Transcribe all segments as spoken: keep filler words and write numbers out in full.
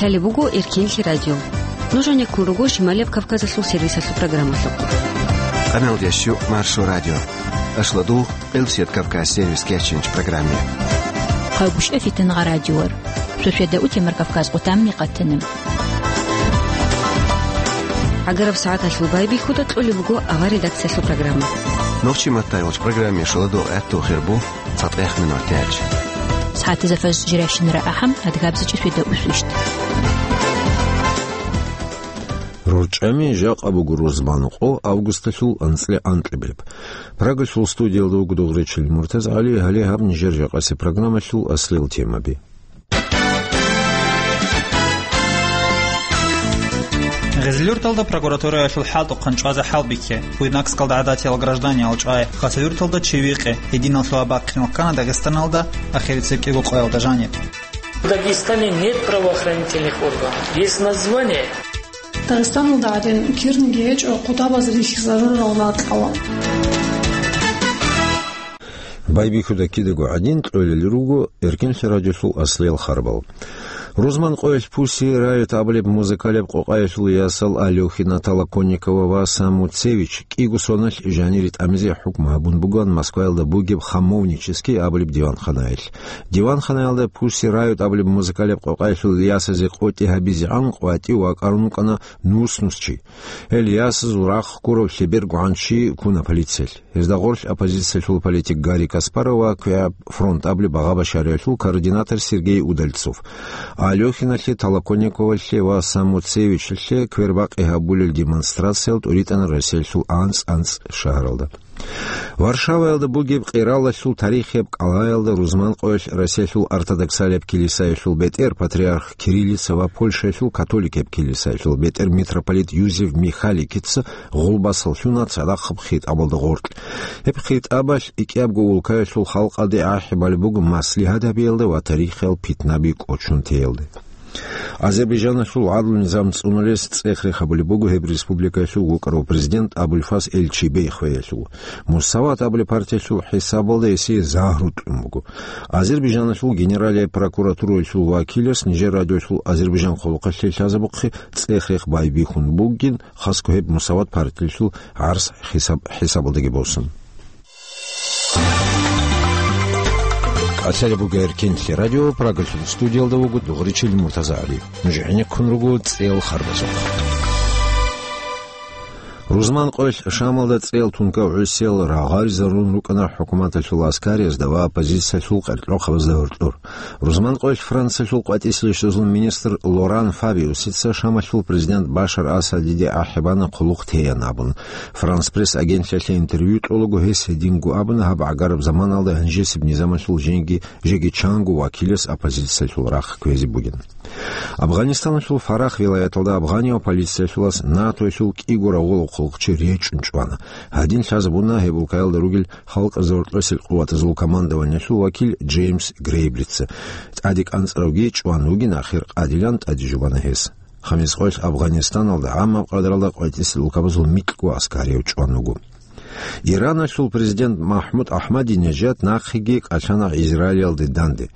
Гьале буго Эркенлъи радио. Нуж гьанеккун руго Шималияб Кавказалъул сервисалъул программалъухъ. Къамел ящу Маршо радио. Ашладу Къилсият Кавказ сервис кечинч программе. Хъагушев Фитнагъа радиор. Суседа утемар Кавказ къутамни къатанем. ГӀагараб сагӀаталъул байбихьуда кьолеб буго авар редакциялъул программа. Нохчи маттайолч программе шаладу гӀатту хирбу. ЦатӀех минут яч. СагӀатазда фаз жиращинара ахӀам, адгабзичӀи светда усвищт. РорчӀами жакъа буго рузман къо августалъул анцӀила анкьабилеб. Прагалъул студиялда вуго дугъричил МуртазгӀали, гьале гьаб нижер жакъасе программалъул аслил темаби. Гъезлюрталда прокуратураялъул хӀалтӀухъан чӀвазе хӀалбихье, Буйнакскалда гӀадатиял гражданиял чӀвай, Хасавюрталда чи викъе, гьединаллъула бахъинал ккана Дагъистаналда ахирицеб кӀиго къоялда жаниб. В Дагестане нет правоохранительных органов. Есть название. Дагъистаналда гӀадин кирниги гьечӀо къутабаз рихьизарурал ракьалда. Байбихьуда кидаго гӀадин кьолел руго Эркенлъи радиолъул аслиял харбал. Рузман къоялъ Пусси Райот абулеб музыкалияб къокъаялъул ясал Алёхина Толоконникова ва Самуцевич кӀиго соналъ жанире тӀамизе хӀукму гьабун бугоан Москваялда бугеб Хамовнический абулеб диванханаялъ. Диванханаялда Пусси Райот абулеб музыкалияб къокъаялъул ясазе къотӀи гьабизегӀан къватӀив вакӀарун вукӀана нус-нус чи. Гьел ясазул рахъ ккурав лъебергогӀан чи ккуна полициялъ. Гьезда гъорлъ оппозициялъул политик Гарри Каспаров ва КвегӀаб фронт абулеб багъа-башариялъул координатор Сергей Удальцов. Алёхиналъе, Толоконниковалъе ва Самуцевичалъе квербакъи гьабулел демонстрациял тӀуритӀана Россиялъул анцӀ-анцӀ шагьаралда. Варшаваялда бугеб къиралалъул тарихияб кӀалаялда рузман къоялъ Россиялъул ортодоксалияб килисаялъул бетӀер патриарх Кириллица ва Польшаялъул католикияб килисаялъул бетӀер митрополит Юзеф Михаликица гъулбасал лъуна цадахъаб хитӀабалда гъоркь. Гьеб хитӀабалъ икӀиябго улкаялъул халкъалде ахӀи балеб буго маслигьат гьабиялда ва тарихиял питнаби кӀочон теялде. Азербайжаналъул гӀадлу-низам цӀунулес цӀех-рех гьабулеб буго гьеб республикаялъул вукӀарав президент Абулфаз Эльчибей хвеялъул. Мусават абулеб партиялъул хӀисабалда гьесие загьру кьун буго. Азербайжаналъул генералияб прокуратураялъул вакилас нижер радиоялъул Азербайжан хъулухъалъе лъазабухъе цӀех-рех байбихьун бугин, хасго гьеб Мусават партиялъул гӀарс хӀисаб-, хӀисабалдаги босун. Кьалъалеб буго Эркенлъи радио, Прагалъул студиялда вуго дугъричил МуртазагӀали. Нуж гӀенеккун руго цӀел харбазухъ. Рузман къоялъ Шамалда цӀел тункав гӀусиял рагъаризарун рукӀана хӀукуматалъул аскариязда ва оппозициялъул къеркьохъабазда гьоркьор. Рузман къоялъ Франциялъул къватӀисел рещтӀазул министр Лоран Фабиусица Шамалъул президент Башар Асадиде ахӀи бана хъулухъ теян абун. Франс Пресс агентлъиялъе интервью кьолаго гьес гьединго абуна гьаб гӀагараб заманалда гьанжесеб низамалъул жеги, жеги чанго вакилас оппозициялъул рахъ кквезе бугин. Афганистаналъул Фарах вилаяталда афганияв полициялъулас НАТОялъул кӀиго рагъулахъулахъчи речӀчӀун чӀвана. Гьадин лъазабуна гьеб улкаялда ругел халкъ зоркьосел къуватазул командованиялъул вакил Джеймс Грейблица. ТӀаде кӀанцӀаравги чӀван вугин, ахир къадилан тӀаде жубана гьес. Хамис къоялъ Афганистаналда гӀаммаб къадралда къватӀисел улкабазул микьго аскарияв чӀван вуго. Ираналъул президент МахӀмуд Ахмадинежад нахъеги кӀалъана Израилалде данде.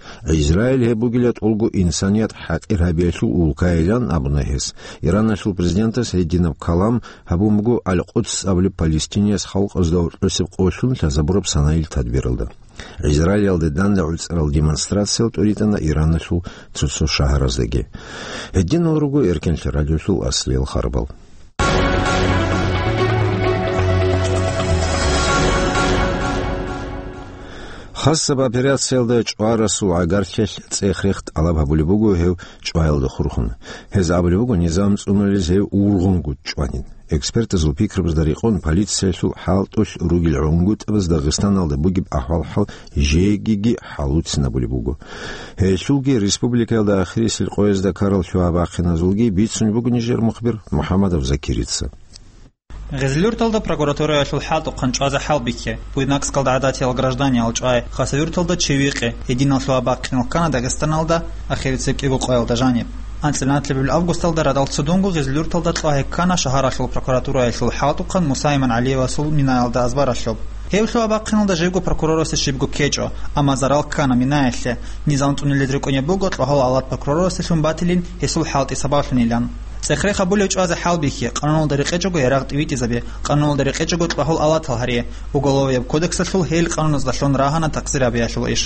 Израил гьеб бугила тӀолго инсаният хӀакъир гьабиялъул улкайилан абуна гьес. Ираналъул президентас гьединаб калам гьабун буго Аль-Къудс абулеб Палестинияс халкъазда гьоркьосеб къолъун лъазабураб санаил тадбиралда. Израилалде данде гӀуцӀарал демонстрациял тӀуритӀана Ираналъул цо-цо шагьараздаги. Гьединал руго Эркенлъи радиолъул аслиял харбал. Хасаб операциялда чӀварасул гӀагарлъиялъ цӀех-рех тӀалаб гьабулеб буго гьев чӀваялда хурхун. Гьез абулеб буго, низам цӀунулез гьев ургъунгун чӀванин. Экспертазул пикрабазда рекъон, полициялъул хӀалтӀулъ ругел гӀунгутӀабаз Дагъистаналда бугеб ахӀвал-хӀал жегиги хӀалуцинабулеб буго. Гьелъулги республикаялда ахирисел къоязда ккарал лъугьа-бахъиназулги бицунеб буго нижер мухбир МухӀаммадов Закирица. Гъезлюрталда прокуратураялъул хӀалтӀухъан чӀвазе хӀалбихье, Буйнакскалда гӀадатиял гражданиял чӀвай, Хасавюрталда чи викъе, гьединал лъугьа-бахъинал ккана Дагъистаналда ахирицеб кӀиго къоялда жаниб. АнцӀила анлъабилеб августалда радал цудунго Гъезлюрталда кьвагье ккана шагьаралъул прокуратураялъул хӀалтӀухъан Муса Иман ГӀалиевасул минаялда азбаралъуб. Гьев лъугьа-бахъиналда живго прокурорасде щибго ккечӀо, амма зарал ккана минаялъе. Низам цӀунилез рикӀкӀунеб буго, кьвагьал гьалат прокурорасдалъун батилин, гьесул хӀалтӀи сабаблъунилан. ЦӀехрех гьабулев чӀвазе хӀалбихье, къануналда рекъечӀого ярагъ тӀивитӀизабе, къануналда рекъечӀого кьвагьал гьалат гьаре, уголовияб кодексалъул гьел къануназда лъун рагьана такъсир гьабиялъул иш.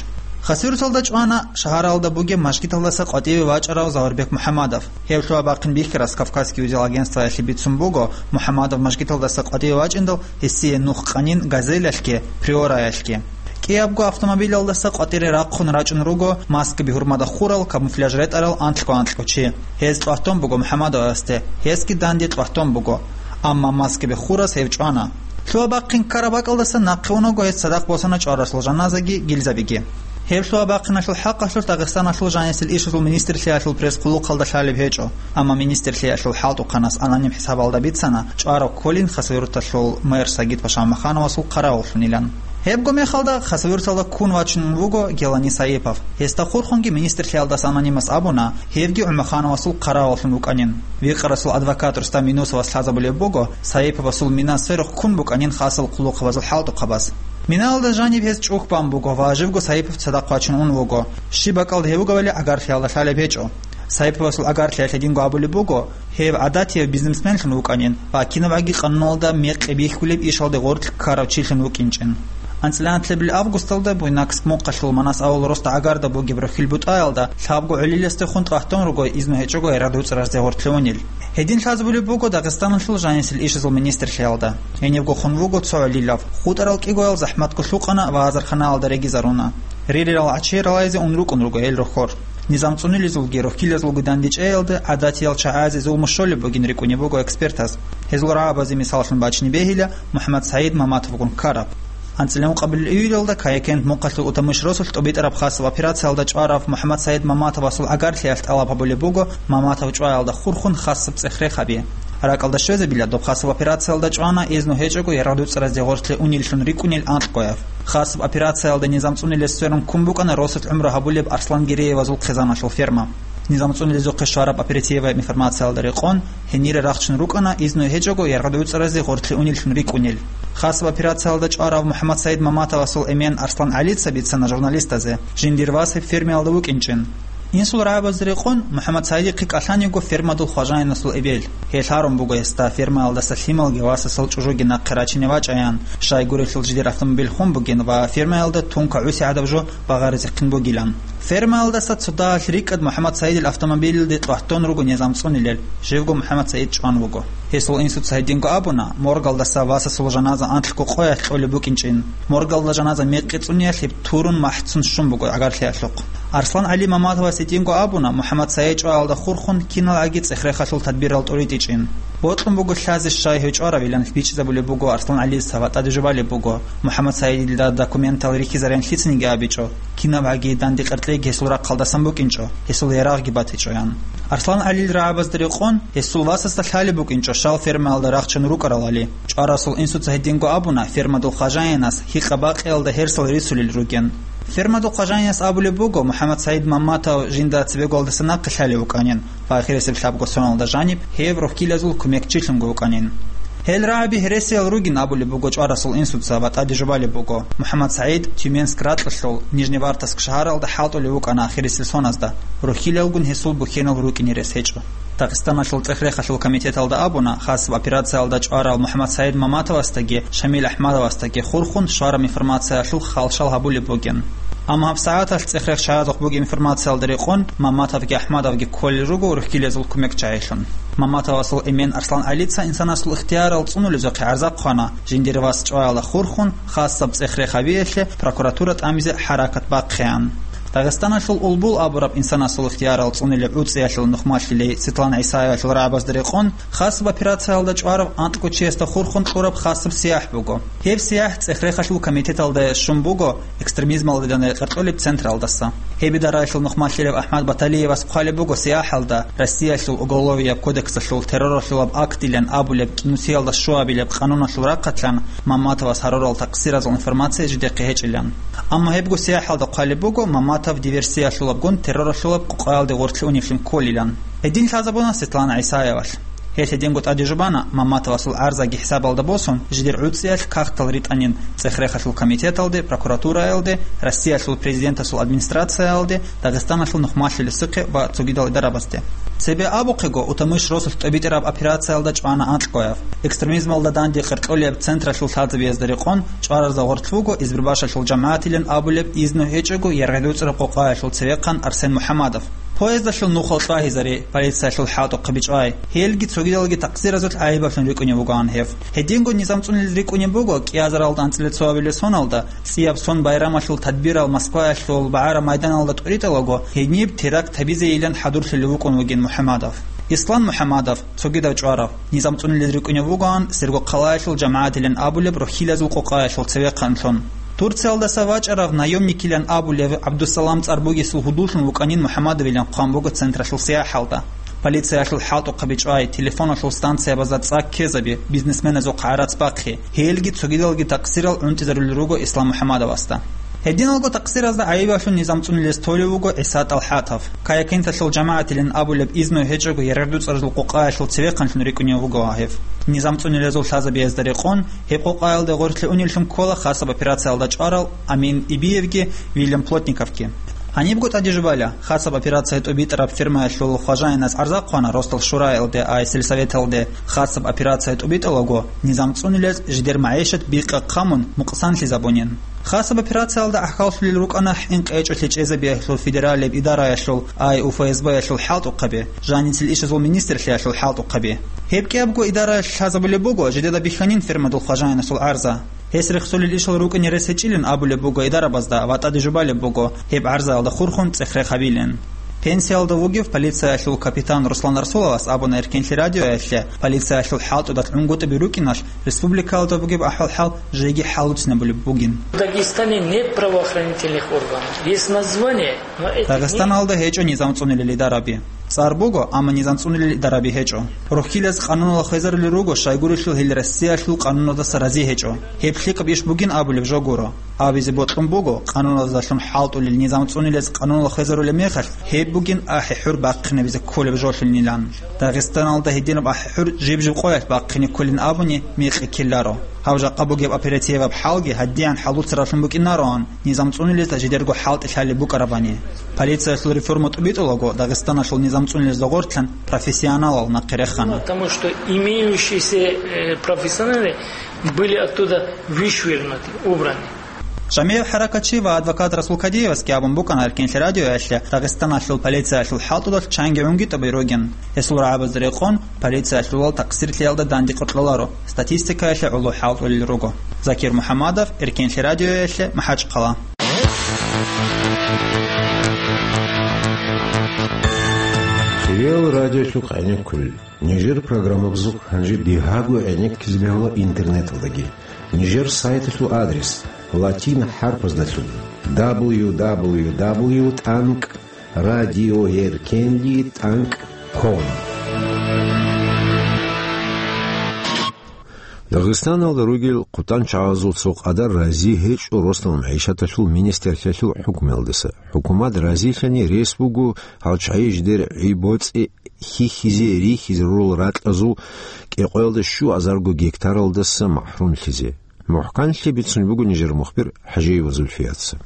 Хасавюрталда чӀвана, шагьаралда бугеб мажгиталдаса къватӀиве вачӀарав Заварбек МухӀамадов. Гьев лъугьа-бахъин бихьарас «Кавказский узел» агентствоялъе бицун буго, МухӀамадов мажгиталдаса къватӀиве вачӀиндал, гьесие нух къанин «Газелялъги», «Приораялъги». КӀиябго автомобилалдаса къватӀире рахъун рачӀун руго маскаби гьурмада хурал, камуфляж ретӀарал анлъго-анлъго чи. Гьез тӀватун буго МухӀамадовасде, гьесги данде тӀватун буго. Амма маскаби хурас гьев чӀвана. Лъугьа-бахъин ккараб бакӀалдаса нахъе унаго гьес цадахъ босана чӀварасул жаназаги гилзабиги. Гьеб лъугьа-бахъиналъул хӀакъалъулъ Дагъистаналъул жанисел ишазул министрлъиялъул пресс-хъулухъалда лъалеб гьечӀо, амма министрлъиялъул хӀалтӀухъанас аноним хӀисабалда бицана чӀвараб кколин Хасавюрталъул мэр Сагид Пашамахановасул хъаравуллъунилан. Гьебго мехалда Хасавюрталда ккун вачун вуго Гелани Саипов. Гьесда хурхунги министрлъиялдаса анонимас абуна, гьевги ГӀумахановасул хъаравуллъун вукӀанин. Викъарасул адвокат Рустам Юнусовас лъазабулеб буго, Саиповасул мина сверухъ ккун букӀанин хасал хъулухъабазул хӀалтӀухъабаз. Минаялда жаниб гьес чӀухь бан буго ва живго Саипов цадахъ вачун ун вуго. Щиб бакӀалда гьев вугевали гӀагарлъиялда лъалеб гьечӀо. Саиповасул гӀагарлъиялъ гьединго абулеб буго, гьев гӀадатияв бизнесменлъун вукӀанин ва кинабгӀаги къануналда мекъи бихьулеб ишалде гъоркь ккарав чилъун вукӀинчӀин. АнцӀила нилъеда августалда Буйнакск мухъалъул Манас авул росда гӀагарда бугеб рохьил бутӀаялда лъабго гӀолиласдехун тӀватун руго изну гьечӀого ярагъ дуцӀаразде гъоркье унел. Гьедин лъазабулеб буго Дагъистаналъул жанисел ишазул министрлъиялда. Гьенибго хун вуго цо гӀолилав. ХутӀарал кӀигоял захӀматго лъукъана ва азарханаялда регизаруна. Рирерал гӀачие ралайзе ун рукӀун руго гьел рохьор. Низам цӀунилезулги рохьилазулги дандечӀеялда гӀадатиял чагӀазе зулму щолеб бугин рикӀкӀунеб буго экспертаз. Гьезул рагӀабазе мисаллъун бачине бегьила МухӀаммад СагӀид Маматовгун ккараб. АнцӀила ункъабилеб июлалда Каякент мухъалъул Утамыш росулъ тӀобитӀараб хасаб операциялда чӀварав МухӀаммад СагӀид Маматовасул гӀагарлъиялъ тӀалаб гьабулеб буго Маматов чӀваялда хурхун хасаб цӀехрех гьаби. РакӀалда щвезабила, доб хасаб операциялда чӀвана изну гьечӀого ярагъ дуцӀаразде гъоркье унеллъун рикӀкӀунел анкьгояв. Хасаб операциялда низам цӀунилез сверун ккун букӀана росулъ гӀумру гьабулеб Арслан Гиреевазул хъизаналъул ферма. Низам цӀунилезухъе щвараб оперативаяб информациялда рекъон, гьенире рахчун рукӀана изну гьечӀого ярагъ дуцӀаразде гъоркье унеллъун рикӀкӀунел. Хасаб операциялда чӀварав МухӀаммад СагӀид Маматовасул эмен Арслан ГӀалица бицана журналистазе, жиндир вас гьеб фермаялда вукӀинчӀин. Инсул рагӀабазда рекъон, МухӀаммад СагӀидихъе кӀалъан йиго фермадул хважаинасул эбел. Гьел гьарун буго гьесда фермаялдаса лъималги васасул чӀужуги нахъе рачине вачӀаян, щайгурелъул жидер автомобиль хун бугин ва фермаялда тунка гӀуси гӀадаб жо багъаризехъин бугилан. Фермаялдаса цо дагьалъ рикӀкӀад МухӀаммад СагӀидил автомобилалде тӀватун руго низам цӀунилел, живго МухӀаммад СагӀид чӀван вуго. Гьесул инсуца гьединго абуна, моргалдаса васасул жаназа анлъго къоялъ кьолеб букӀинчӀин. Моргалда жаназа мекъи цӀуниялъе турун махӀцун щун буго гӀагарлъиялъухъ. Арслан ГӀали Маматовас гьединго абуна, МухӀаммад СагӀид чӀваялда хурхун киналгӀаги цӀехрехалъул тадбирал тӀуритӀичӀин. Бокьун буго лъазе щай гьев чӀваравилан бичӀчӀизабулеб буго Арслан ГӀалица ва тӀаде жубалеб буго, МухӀаммад СагӀидилда документал рихьизарин лъицаниги абичӀо, кинабгӀаги данде къеркьеги гьесул рахъалдасан букӀинчӀо, гьесул ярагъги батичӀоян. Арслан ГӀалил рагӀабазда рекъон, гьесул васасда лъалеб букӀинчӀо щал фермаялда рахчун рукӀаралали. ЧӀварасул инсуца гьединго абуна, фермадул хважаинас гьикъа-бакъиялда гьерсал рицулел ругин. Фермадул хважаинас абулеб буго, МухӀаммад СагӀид Маматов жинда цебеголдаса нахъе лъалев вукӀанин ва ахирисеб лъабго соналда жаниб гьев рохьилазул кумекчилъунго вукӀанин. Гьел рагӀаби гьересиял ругин абулеб буго чӀварасул инсуца ва тӀаде жубалеб буго, МухӀаммад СагӀид Тюменск ракьалъул Нижневартовск шагьаралда хӀалтӀулев вукӀана ахирисел соназда, рохьилалгун гьесул бухьенал рукӀине рес гьечӀо. Дагъистаналъул цӀехрехалъул комитеталда абуна, хасаб операциялда чӀварал МухӀаммад СагӀид Маматовасдаги Шамил АхӀмадовасдаги хурхун щвараб информациялъул халшал гьабулеб бугин. Амма гьабсагӀаталъ цӀехрех чагӀазухъ бугеб информациялда рекъон, Маматовги АхӀмадовги кколел руго рохьилазул кумекчагӀилъун. Маматовасул эмен Арслан ГӀалица инсанасул ихтиярал цӀунулезухъе гӀарза хъвана, жиндир вас чӀваялда хурхун, хасаб цӀехрех гьабиялъе прокуратура тӀамизе хӀаракат бахъеян. Дагъистаналъул Улбул абураб инсанасул ихтиярал цӀунилеб ГӀуцӀиялъул нухмалъилей Светлана ГӀисаевалъул рагӀабазда рекъон, хасаб операциялда чӀварав анкьго чиясда хурхун кьураб хасаб сияхӀ буго. Гьеб сияхӀ цӀехрехалъул комитеталда щун буго экстремизмалда къаркьулеб централдаса. Гьеб идараялъул нухмалъилев АхӀмад Баталиевас хъвалеб буго сияхӀалда Россиялъул Уголовияб кодексалъул терроралъулаб актилан абулеб кӀинусиялда щуабилеб къануналъул рахъалъан Маматовас гьарурал такъсиразул информация жидехъе гьечӀилан. Амма гьебго сияхӀалда хъвалеб буго Маматов диверсиялъулабгун терроралъулаб къокъаялде гъоркье уневлъун кколилан. Гьедин лъазабуна Светлана ГӀисаевалъ. Гьелъ гьединго тӀаде жубана Мамматовасул гӀарзаги хӀисабалда босун, жидер гӀуцӀиялъ кагътал ритӀанин ЦӀехрехалъул комитеталде, прокуратураялде, Россиялъул Президентасул администрациялде, Дагъистаналъул нухмалъулесухъе ва цогидал идарабазде. Цебе абухъего, Утамыш росулъ тӀобитӀараб операциялда чӀвана анкьгояб. Экстремизмалда данде къеркьолеб централъул лъазабиязда рекъон, чӀваразда гъорлъ вуго Избербашалъул жамагӀатилан абулеб изну гьечӀого яргъи-дуцӀраб къокъаялъул цевехъан Арсен МухӀамадов. Поездалъул нухал кьвагьизаре, полициялъул хӀалтӀухъаби чӀвай. Гьелги цогидалги такъсиразулъ гӀайибаблъун рикӀкӀунев вугоан гьев. Гьединго низам цӀунулел рикӀкӀунеб буго кӀиазаралда анцӀила цоабилеб соналда, цӀияб сон байрамалъул тадбирал Москваялъул БагӀара майданалда тӀуритӀалаго, гьениб теракт гьабизейилан хӀадурлъулев вукӀун вугин МухӀамадов. Ислам МухӀамадов, цогидав чӀварав, низам цӀунулел рикӀкӀунев вугоан Сергокъалаялъул жамагӀатилан абулеб рухьилазул къокъаялъул цевехъанлъун. Турциялдаса вачӀарав наемникилан абулев ГӀабдусалам цӀар бугесул гьудуллъун вукӀанин МухӀамадовилан хъван буго централъул сияхӀалда. Полициялъул хӀалтӀухъаби чӀвай, телефоналъул станциябазда цӀа ккезаби, бизнесменазухъ гӀарац бахъи, гьелги цогидалги такъсирал гӀунтӀизарулел руго Ислам МухӀамадовасда. Гьединалго такъсиразда гӀайибаблъун низам цӀунулез толев вуго ГӀиса ТӀалхӀатов. Каякенталъул жамагӀатилан абулеб изну гьечӀого яргъи-дуцӀралъул къокъаялъул цевехъанлъун рикӀкӀунев вуго гьев. Низам цӀунулезул лъазабиязда рекъон, гьеб къокъаялда гъорлъе унеллъун ккола хасаб операциялда чӀварал Амин Ибиевги Вильям Плотниковги. Гьанибго тӀаде жубала, хасаб операция тӀубитӀараб фирмаялъул хважаинас гӀарза хъвана Росдал шураялде ай сельсоветалде хасаб операция тӀубитӀалаго, низам цӀунулез жидер магӀишат бикъа хъамун мукъсанлъизабунин. Хасаб операциялда гӀахьаллъулел рукӀана хӀинкъи гьечӀолъи чӀезабиялъул федералияб идараялъул ай УФСБ-ялъул хӀалтӀухъаби, жаницел ишазул министрлъиялъул хӀалтӀухъаби. Гьеб кӀиябго идараялъ лъазабулеб буго жидеда бихьанин фирмадул хважаинасул гӀарза. Гьес рехсолел ишал рукӀине рес гьечӀилин абулеб буго идарабазда ва тӀаде жубалеб буго гьеб гӀарзаялда хурхун цӀех-рех гьабилин. Пенсиялда вугев полициялъул капитан Руслан Расуловас абуна Эркенлъи радиоялъе, полициялъул хӀалтӀудал гӀунгутӀаби рукӀиналъ республикаялда бугеб ахӀвал-хӀал жеги хӀалуцинабулеб бугин. В Дагестане нет правоохранительных органов. Есть название, но этих нет. Дагъистаналда гьечӀо низам цӀунулел идараби. ЦӀар буго, амма низам цӀунулел идараби гьечӀо. Рухьилаз къануналда хвезарулел руго, щайгурелъул гьел Россиялъул къануналдаса рази гьечӀо. Гьеб лъикӀаб иш бугин абулеб жо гуро. Абизе бокьун буго, къануналдалъун хӀалтӀулел низам цӀунулез къануналда хвезарулеб мехалъ, гьеб бугин ахӀи-хӀур бахъинабизе кколеб жолъунилан. Дагъистаналда гьединаб ахӀи-хӀур жиб-жиб къоялъ бахъине кколин абуни мекъи ккеларо. Гьав жакъа бугеб оперативаб хӀалги гьадиан хӀалуцаравлъун букӀинароан, низам цӀунулезда жидерго хӀалтӀи лъалеб букӀарабани. Полициялъул реформа тӀубитӀулаго, Дагъистаналъул низам цӀунулезда гъортлъан профессионалал нахъе рехана. Потому что имеющиеся, э, профессионалы были оттуда вышвырнуты, убраны. Жамиев ХӀаракатчи ва адвокат Расул Кадиевасги абун букӀана Эркенлъи радиоялъе, Дагъистаналъул полициялъул хӀалтӀудалъ чанги гӀунгутӀаби ругин. Гьесул рагӀабазда рекъон, полициялъулал такъсирлъиялда данде къоркьоларо, статистикаялъе гӀоло хӀалтӀулел руго. Закир МухӀамадов, Эркенлъи радиоялъе, МахӀачхъала. Хириял радиолъухъ гӀенеккулел. Нижер программабазухъ гьанже дигьаго гӀенеккизе бегьула интернеталдаги. Нижер сайталъул адрес латин хӀарпаздалъун: дабл ю дабл ю дабл ю тӀанкӀ радиоэркенли тӀанкӀ ком. Дагъистаналда ругел хъутӀанчагӀазул цо къадар рази гьечӀо росдал магӀишаталъул министрлъиялъул хӀукмуялдаса. ХӀукумат разилъани рес буго гьал чагӀи жидер гӀи-боцӀи хьихьизе рихьизе рурал ракьазул кӀикъоялда щуазарго гектаралдаса махӀрумлъизе. МухӀканлъи бицун буго нижер мухбир ХӀажиева Зульфияца.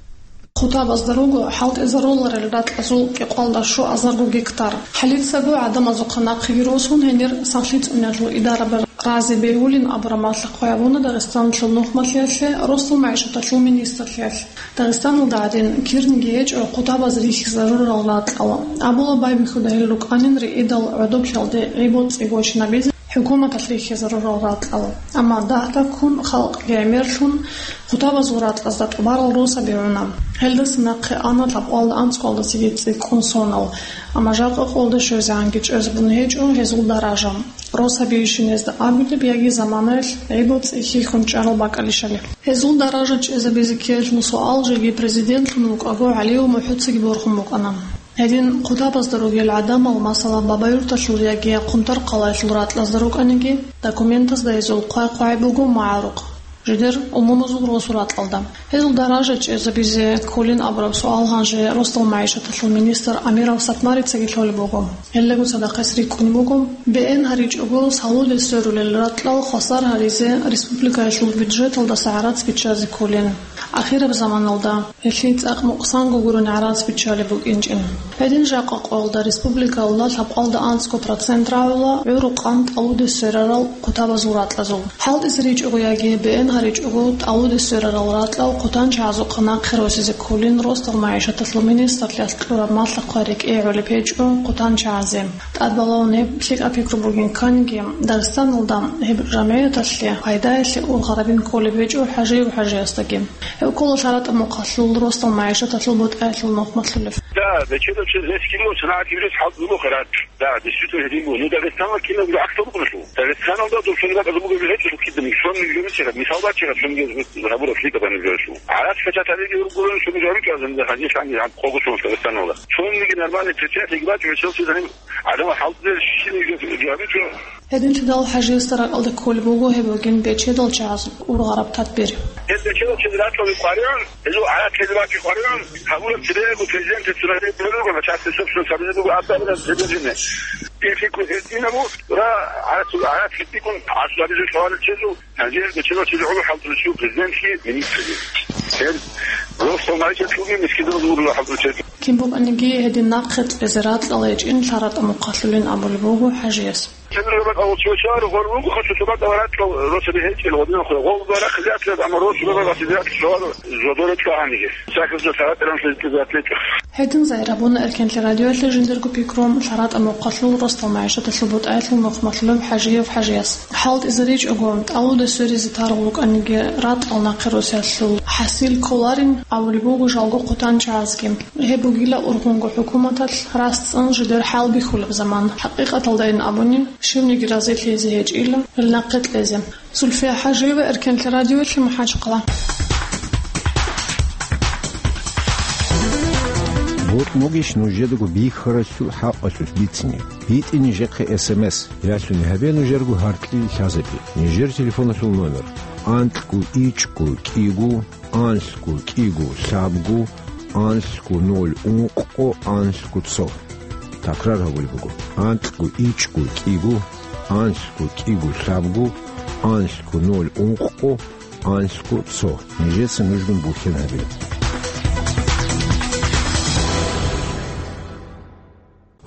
Хутабазда руго хӀалтӀизаруларел ракьазул кӀикъоялда щуазарго гектар. Хъалицаго гӀадамазухъа нахъеги росун, гьенир сахлъи цӀуниялъул идарабаз рази бегьулин абураб малъа хъвай гьабуна Дагъистаналъул нухмалъиялъе, росдал магӀишаталъул министрлъиялъ. Дагъистаналда гьадин кирниги гьечӀо хутабаз рихьизарурал ракьал. Абула, байбихьуда гьел рукӀанин риидал гӀодоблъиялде гӀи-боцӀи гочинабизе хӀукуматалъ рихьизарурал ракьал. Амма дагь-дагьккун халкъ гӀемерлъун хутабазул ракьазда тӀубарал росаби гӀуна. Гьелдаса нахъе ана лъабкъоялда анцӀгоялдасаги цӀикӀкӀун сонал. Амма жакъа къолда щвезегӀанги чӀезабун гьечӀо гьезул даража. Росабийищин гьезда абилеб яги заманаялъ гӀи-боцӀи хьихьун чӀарал бакӀалищали? Гьезул даража чӀезабизе ккеллъун суал жеги президентлъун вукӀаго ГӀалиев МухӀуцаги борхун букӀана. Гьедин хутабазда ругел гӀадамал, масала, Бабаюрталъул яги Хъунтар-Къалаялъул ракьазда рукӀаниги, документазда гьезул хъвай-хъвай буго магӀарухъ. жидер умумузул росу ракьалда. Гьезул даража чӀезабизе кколин абураб суал гьанже росдал магӀишаталъул министр Амиров Сатмарицаги лъолеб буго. Гьелдаго цадахъ гьес рикӀкӀунеб буго, БН гьаричӀого салудер сверулел ракьал хвасар гьаризе республикаялъул бюджеталдаса гӀарац биччазе кколин. Ахираб заманалда гьелъие цӀакъ мукъсанго гурони гӀарац биччалеб букӀинчӀин. Гьедин жакъа къоялда республикалда лъабкъалда анцӀго процент рагӀула гӀурухъан тӀалудер сверарал хъутабазул ракьазул. ХӀалтӀизе ричӀого яги БН гьаричӀого тӀалудер сверарал ракьал хъутанчагӀазухъа нахъе росизе кколин росдал магӀишаталъул министрлъиялъ кьураб малъа-хъвай рекӀее гӀолеб гьечӀо хъутанчагӀазе. ТӀадбалавун гьеб лъикӀаб пикру бугин кканиги, Дагъистаналда гьеб жамгӀияталъе пайдаялъе ургъарабин кколеб гьечӀо ХӀажиев ХӀажиясдаги. Гьев ккола ЛъаратӀа Мухъалъул росдал магӀишаталъул бутӀаялъул нухмалъулев. Да, бечедав чед гьес кинав санагӀат гьабизе хӀалтӀулеб буго ракь. Да, действительно, гьедин буго. Ну, Дагъистаналда кинабго гӀаксал букӀуна. Дагъистаналда доб цониги бакӀалда бугеб гьечӀо кинабго, цониги гьечӀо, мисал бачӀараб, цониги гьабураб лъикӀаб гьаниб гьечӀо. ГӀарац печаталиги ургулан, цониги гьаричӀо, азан гьанже шани гьаб къого цо Дагъистаналда. Цониги нормальный печать гьеб бачӀун гьечӀо, цо гьаниб гӀадамал хӀалтӀулел щибниги гьабичӀо. Гьединлъидал ХӀажиясда ракӀалде кколеб буго гьеб бугин бечедал чагӀаз ургъараб тадбир. Гьел бечедал чед ракьалде къваригӀун, гьезул гӀарац гьел бакӀи къваригӀун, гьабураб цебего президент цунареб буго, начальство собственность гьабизе буго, абдалараб цебезине. Пикру гьединабу, ра, гӀарац, гӀарац гьитӀикӀун гӀасулабизе лъугьарал чезул, гьанже гьел бечедал чезул гӀоло хӀалтӀулев чи президентги, министрги. Гьел росдал магӀишатлъулги мискинал ургъарал хӀалтӀулев чед. Кин букӀаниги гьедин нахъе кьезе ракьал гьечӀин ЛъаратӀа Мухъалъулин абулеб буго ХӀажияс. Цебе рабат авал чула чула гъор руго хасу чула таварат кал росаби гьечӀел гъодин хъула. Гъол гъора хизатлъа, амма рос рабат хизатлъа шугьар зодора чула гьаниги. Сахизда таварат ран хизатлъа затлъа. Гьедин зайрабуна Эркенлъи радиоялъе жиндирго пикру ЛъаратӀа Мухъалъул росдал магӀишаталъул бутӀаялъул нухмалъулев ХӀажиев ХӀажияс. ХӀалтӀизе ричӀого, тӀалудер сверизе таргъ букӀаниги ракьал нахъе росиялъул хӀасил кколарин абулеб буго жалго хъутанчагӀазги. Гьеб бугила ургъунго хӀукуматалъ рацӀцӀан жидер хӀалбихьулеб заман. ХӀакъикъаталдайин абуни, щивниги разилъизе гьечӀила гьел нахъе кьезе. Зульфия ХӀажиева, Эркенлъи радиоялъе, МахӀачхъала. Бокьун бугищ нужедаго бихьаралъул хӀакъалъулъ бицине? БитӀе нижехъе СМС, ялъуни гьабе нужерго гьаркьил лъазабе. Нижер телефоналъул номер: анкьго ичӀго кӀиго, анлъго кӀиго лъабго, анлъго ноль ункъго, анлъго цо. Такрар гьабулеб буго: анкьго ичӀго кӀиго, анлъго кӀиго лъабго, анлъго ноль ункъго, анлъго цо. Нижеца нужгун бухьен гьабе.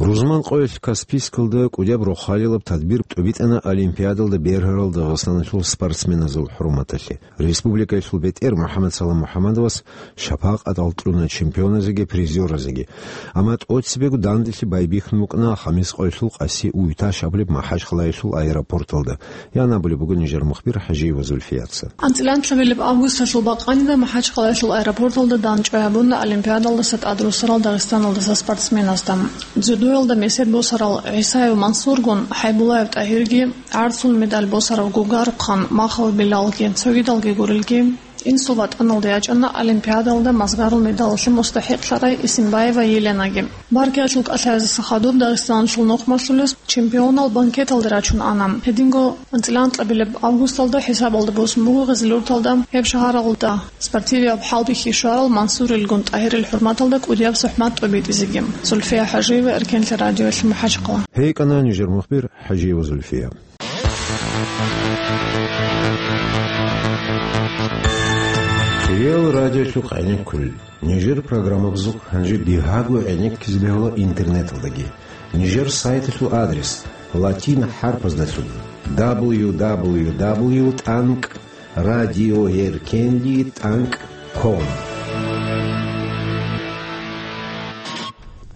Рузман къоялъ Каспийскалда кӀудияб рохалилаб тадбир тӀубитӀана Олимпиадалда бергьарал Дагъистаналъул спортсменазул хӀурматалъе. Республикаялъул бетӀер МухӀаммад Салам МухӀаммадовас шапакъатал кьуна чемпионазеги призёразеги. Амма тӀоцебего данделъи байбихьун букӀана Хамис къоялъул Къаси Уйташ абулеб МахӀачхъалаялъул аэропорталда. Ян абулеб буго нижер мухбир ХӀажиева Зульфияца. АнцӀила анлъабилеб августалъул бакъанила МахӀачхъалаялъул аэропорталда дандчӀвай гьабуна Олимпиадалдаса тӀадрусарал Дагъистаналдаса спортсменазда. Дзюдоялда месед босарал ГӀисаев Мансургун, ХӀайбулаев ТӀагьирги, гӀарцул медаль босарав Гугарухъан Махов Билалги, цогидалги гурелги, инсул ватӀаналда ячӀана Олимпиадалда мазгарул медалалъе мустахӀикълъарай Исимбаева Еленаги. Баркиялъул кӀалъаязеса хадуб Дагъистаналъул нухмалъулес чемпионал банкеталде рачун ана. Гьединго анцӀила анлъабилеб августалда хӀисабалда босун буго Гъизлюрталда, гьеб шагьаралда спортивияб хӀалбихьи щварал Мансурилгун ТӀагьирил хӀурматалда кӀудияб сухӀмат тӀубитӀизеги. Зульфия ХӀажиева, Эркенлъи радиоялъе, МахӀачхъала. Гьей кӀана нижер мухбир ХӀажиева Зульфия. Хириял радиолъухъ гӀенеккулел. Нижер программабазухъ гьанже бигьаго гӀенеккизе бегьула интернеталдаги. Нижер сайталъул адрес: латин хӀарпаздалъун: дабл ю дабл ю дабл ю тӀанкӀ радиоэркенлъи тӀанкӀ ком.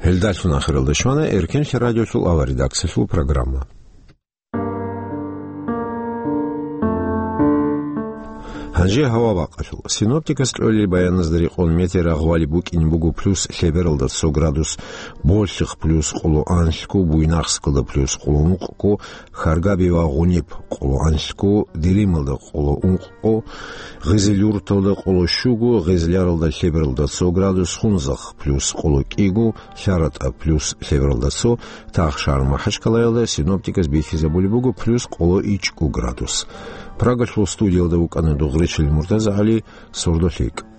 Гьелдалъун ахиралда щвана Эркенлъи радиолъул авар редакциялъул программа. Гьанже гьава бакъалъул. Синоптикас кьолел баяназда рекъон метеорагъвали букӀине буго плюс лъебералда цо градус, Болъихъ плюс къоло анлъго, Буйнакскалда плюс къоло ункъго, Харгаби ва Гъуниб къоло анлъго, Делималда къоло ункъго, Гъизилюрталда къоло щуго, Гъизляралда лъебералда цо градус, Хунзахъ плюс къоло кӀиго, ЛъаратӀа плюс лъебералда цо, Тахшар-МахӀачкъалаялда синоптикас бихьизабулеб буго плюс къоло ичӀго градус. Прагалъул студиялда вукӀана дугъричил МуртазагӀали, «Сордо лъикӀ».